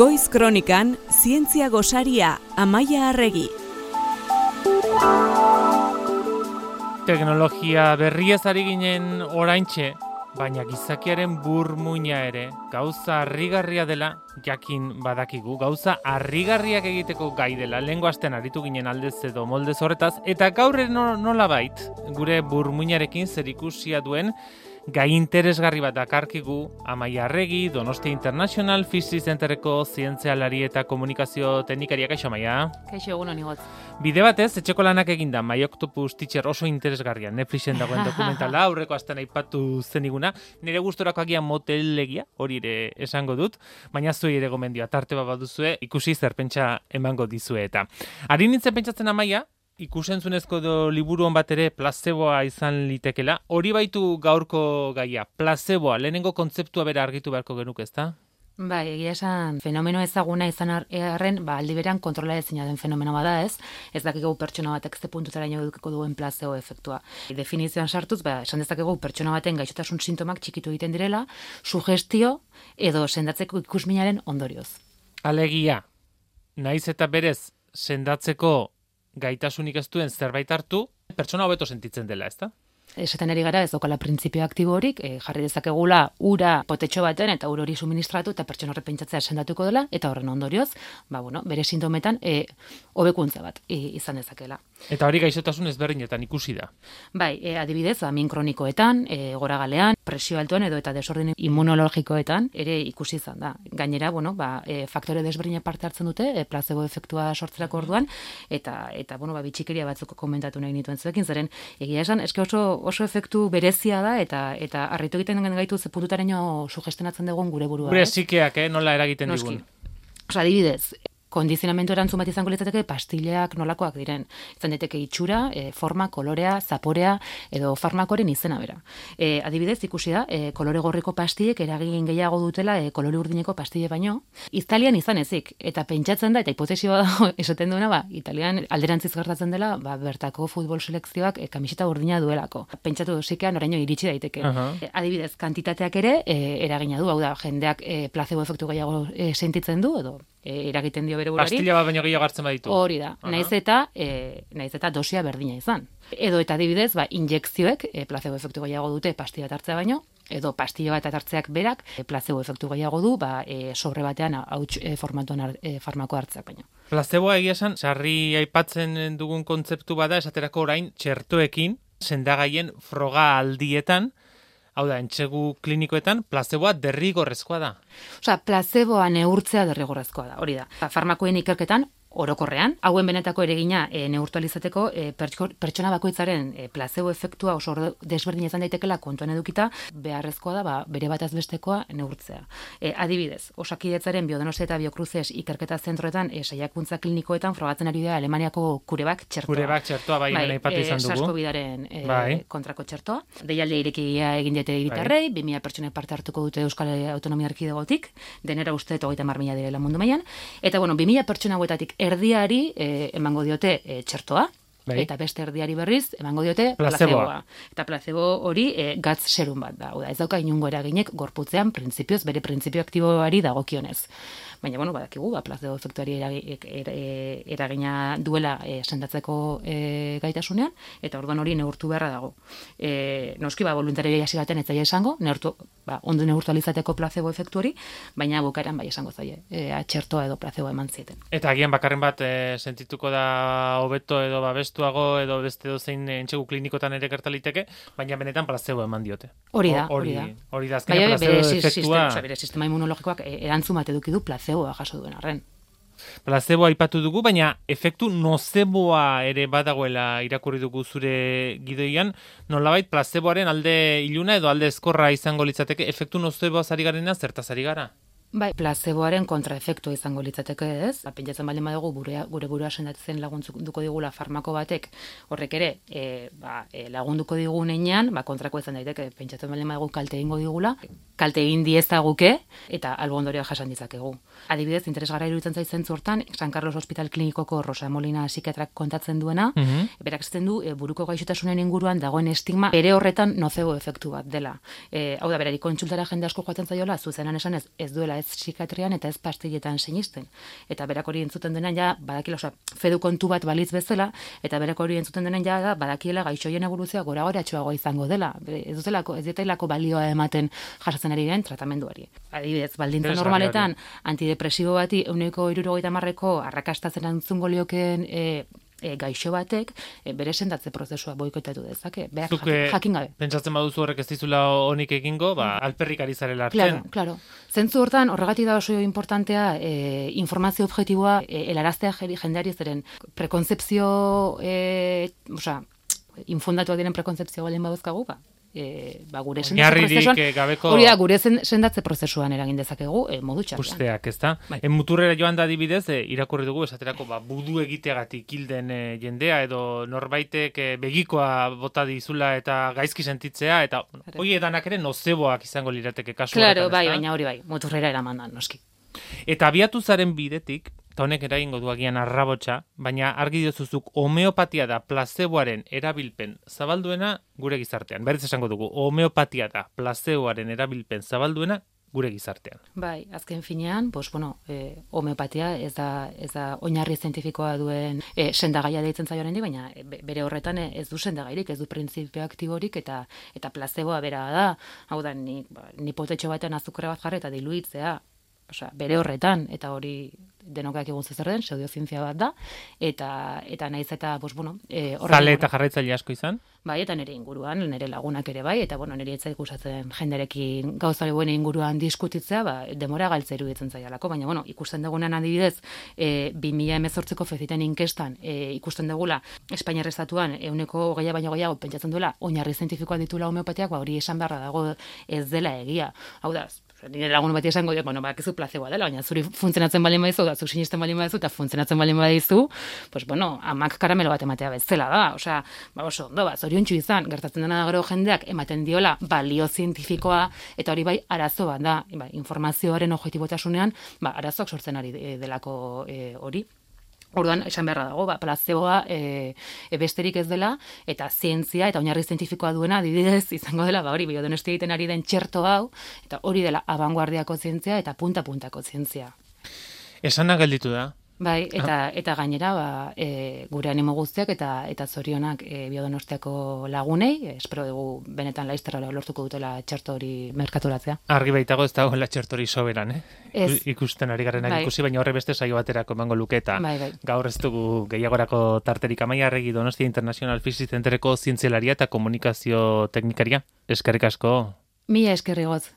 Goiz Kronikan, zientzia gosaria, Amaia Arregi. Teknologia berriez ari ginen oraintxe, baina gizakiaren burmuina ere gauza harrigarria dela jakin badakigu. Gauza harrigarriak egiteko gai dela. Lehengo astean aritu ginen aldez edo moldez horretaz, eta gaur nolabait gure burmuinarekin zerikusia duen gai interesgarri bat dakarkigu Amaia Arregi, Donostia International Physics Centerreko zientzialari eta komunikazio teknikaria. Kaixo, Amaia? Kaixo, egun honi gotz. Bide batez, etxeko lanak eginda, My Octopus Teacher oso interesgarria, Netflixen dagoen dokumentala, aurreko astean aipatu zeniguna, nire gustorako agian motelegia, hori ere esango dut, baina zuei ere gomendioa, tarte bat baduzue, ikusi zerpentsa emango dizue eta. Ari nintzen pentsatzen, Amaia, ikusentzunezko liburuan bat ere plazeboa izan litekela, hori baitu gaurko gaia, plazeboa, lehenengo kontzeptua bera argitu beharko genuke, ezta? Bai, egia esan fenomeno ezaguna izan arren, aldi berean kontrola ezina den fenomeno bada ez dakigu pertsona batek ze puntutaraino edukiko duen plazebo efektua. Definizioan sartuz, esan dezakegu pertsona baten gaixotasun sintomak txikitu egiten direla, sugestio edo sendatzeko ikusminaren ondorioz. Alegia, naiz eta berez sendatzeko gaitasunik ez duen zerbait hartu, pertsona hobeto sentitzen dela, ezta? Esaten ari gara ez daukala printzipio aktibo horik, jarri dezakegula ura potetxo baten eta ur hori suministratu eta pertsona horrek pentsatzea sendatuko dela, eta horren ondorioz, bere sintometan hobekuntza bat izan dezakela. Eta hori gaixotasun ezberdinetan ikusi da. Bai, adibidez, min kronikoetan, goragalean, presio altuan edo eta desorden immunologikoetan ere ikusi izan da. Gainera, faktore desberdinak parte hartzen dute, plazebo efektua sortzerako orduan, eta bitxikeria batzuk komentatu nahi nituen zuekin, zeren egia esan, eske oso efektu berezia da, eta harritu egiten gaitu ze puntutaraino sugestionatzen dugun gure burua. Gure psikeak, nola eragiten digun. Adibidez, kondizionamentu erantzun bat izango litzateke pastileak nolakoak diren. Izan daiteke itxura, forma, kolorea, zaporea edo farmakoren izena bera. Adibidez, ikusi da, kolore gorriko pastilek eragin gehiago dutela kolore urdineko pastile baino. Italian izan ezik, eta pentsatzen da, eta hipotesio da esaten duena, Italian alderantziz gertatzen dela, bertako futbol selekzioak kamiseta urdina duelako. Pentsatu dosikean oraino iritsi daiteke. Adibidez, kantitateak ere eragina du, hau da, jendeak plazebo efektu gehiago sentitzen du, edo eragiten dio bere burari. Pastilla bat baino gehiago hartzen baditu. Hori da. Naiz eta dosia berdina izan. Edo eta adibidez, injekzioek plazebo efektu gehiago dute pastilla bat hartzea baino, edo pastilla bat hartzeak berak plazebo efektu gehiago du, sobre batean hauts formatuan farmako hartzeak baino. Plazeboa egia esan, sarri aipatzen dugun kontzeptu bada, esaterako orain txertoekin, sendagaien froga aldietan, hau da, entsegu klinikoetan, plazeboa derrigorrezkoa da. Plazeboa neurtzea derrigorrezkoa da, hori da. Farmakoen ikerketan, orokorrean, hauen benetako eregina neurtu alizateko pertsona bakoitzaren plazebo efektua oso desberdin izan daitekela kontuan edukita, beharrezkoa da bere bataz bestekoa neurtzea. Adibidez, Osakidetzaren Biodonostia eta Biocruces ikerketa zentroetan saiakuntza klinikoetan frogatzen ari da Alemaniako Curevac txertoa. Curevac txertoa, aipatu izan dugu. SARS-CoV-aren kontrako txertoa. Deialdia irekia egin diete hiritarrei, 2000 pertsonek parte hartuko dute Euskal Autonomia Erkidegotik, denera uste 30.000 direla mundu mailan, eta 2000 pertsona hauetatik erdiari emango diote txertoa, eta beste erdiari berriz emango diote plazeboa. Eta plazebo hori gatz serum bat da. Ez dauka inungo eraginek gorputzean printzipioz, bere printzipio aktiboari dagokionez. Baina, badakigu, plazebo efektuari eragina duela sendatzeko gaitasunean, eta orduan hori neurtu beharra dago. Noski, voluntaria hasi baten ez zaila esango, ondo neurtu alizateko plazebo efektu hori, baina bukaeran esango zaila, txertoa edo plazeboa eman zieten. Eta agian bakarren bat sentituko da hobeto edo babestuago edo beste dozein entsegu klinikotan ere gertaliteke, baina benetan plazebo eman diote. Hori da. Hori da, azkenean plazebo efektua. Bere sistema immunologikoak erantzun bat eduki du plazeboa jaso duen arren. Plazeboa aipatu dugu, baina efektu nozeboa ere badagoela irakurri dugu zure gidoian, nolabait plazeboaren alde iluna edo alde ezkorra izango litzateke, efektu nozeboa zari garena zertaz ari gara? Bai, plazeboaren kontraefektua izango litzateke ez. Pentsatzen baldin badugu gure burua sendatzen lagunduko digula farmako batek, horrek ere lagunduko digunean, kontrako izan daiteke, pentsatzen baldin badugu kalte egingo digula, kalte egin diezaguke eta albo ondorioa jasan ditzakegu. Adibidez, interesgarria iruditzen zait zentzu hortan, San Carlos Hospital Klinikoko Rosa Molina psikiatrak kontatzen duena, berak esaten du buruko gaixotasunen inguruan dagoen estigma bere horretan nozebo efektu bat dela. Hau da, berari kontsultara jende asko joaten zaiola, zuzenan esan ez duela ez psikiatrian eta ez pastilletan sinisten. Eta berak hori entzuten denan ja, badakila, fedu kontu bat balitz bezala, eta berak hori entzuten denan ja, badakiela gaixoien eboluzioa gora-goratxoago izango dela. Ez ditelako balioa ematen jasatzen ari den tratamenduari. Adibidez, baldintza normaletan, antidepresibo bati 170ko arrakastatzen antzungo liokeen gaixo batek bere sendatze prozesua boikotatu dezake. Jakin gabe. Pentsatzen baduzu horrek ez dizula honik egingo, alperrik ari zarela hartzen. Claro. Zentzu hortan, horregatik da oso importantea informazio objektiboa helaraztea jendeari zeren prekonzepzio, infundatuak diren prekonzepzio balen baduzkagu, gure sendatze prozesuan, hori da, gure sendatze prozesuan eragin dezakegu modu txarrean. Usteak, ez da? Muturrera joan da adibidez, irakurri dugu, esaterako, budu egiteagatik hilden jendea, edo norbaitek begikoa bota dizula eta gaizki sentitzea, eta hoi edanak ere nozeboak izango lirateke kasu horretan, Claro, baina hori muturrera eramandan, noski. Eta abiatu zaren bidetik, eta honek eragingo du agian arrabotsa, baina argi diozuzuk homeopatia da placeboaren erabilpen zabalduena gure gizartean. Berriz esango dugu, homeopatia da placeboaren erabilpen zabalduena gure gizartean. Bai, azken finean, homeopatia ez da oinarri zientifikoa duen sendagaia deitzen zaio oraindik, baina bere horretan ez du sendagairik, ez du printzipio aktiborik eta placeboa bera da. Hau da, ni potetxo batean azukre bat jarri eta diluitzea, bere horretan, eta hori denokak egun zer den, pseudozientzia bat da, eta naiz eta, zale eta jarraitzaile asko izan? Bai, eta nire inguruan, nire lagunak ere bai, eta nire etzai gustatzen jenderekin gauzale buen inguruan diskutitzea, demora galtza iruditzen zaialako, baina, ikusten dugunan adibidez, 2018ko feziten inkestan, ikusten dugula, Espainiar estatuan, 20% baino gehiago pentsatzen duela, oinarri zientifikoa ditula homeopatiak, hori esan beharra dago ez dela egia. Hau da, nire lagun bati esango dio, bakizu placeboa dela, baina zuri funtzionatzen balin badizu, zuk sinisten balin badizu, eta funtzionatzen balin badizu, amak karamelo bat ematea bezala da, oso ondo, zoriontsu izan, gertatzen dena gero jendeak ematen diola balio zientifikoa, eta hori bai arazo bat da, informazioaren objektibotasunean, arazoak sortzen ari delako hori. Orduan, esan beharra dago, placeboa besterik ez dela, eta zientzia eta oinarri zientifikoa duena adibidez izango dela, hori biodonosti egiten ari den txerto hau, eta hori dela abanguardiako zientzia eta punta-puntako zientzia. Esana gelditu da. Bai, eta gainera gure animo guztiak eta zorionak biodonostiako lagunei, espero dugu benetan laizterra lortuko dutela txerto hori merkaturatzea. Argi baitago ez dagoela txerto hori soberan, ikusten ari garen ikusi, baina horre beste saio baterako emango luketa. Bai. Gaur ez dugu gehiagorako tarterik. Amaia Arregi, Donostia International Physics Centereko zientzialaria eta komunikazio teknikaria. Eskerrik asko. Mila eskerrigoz.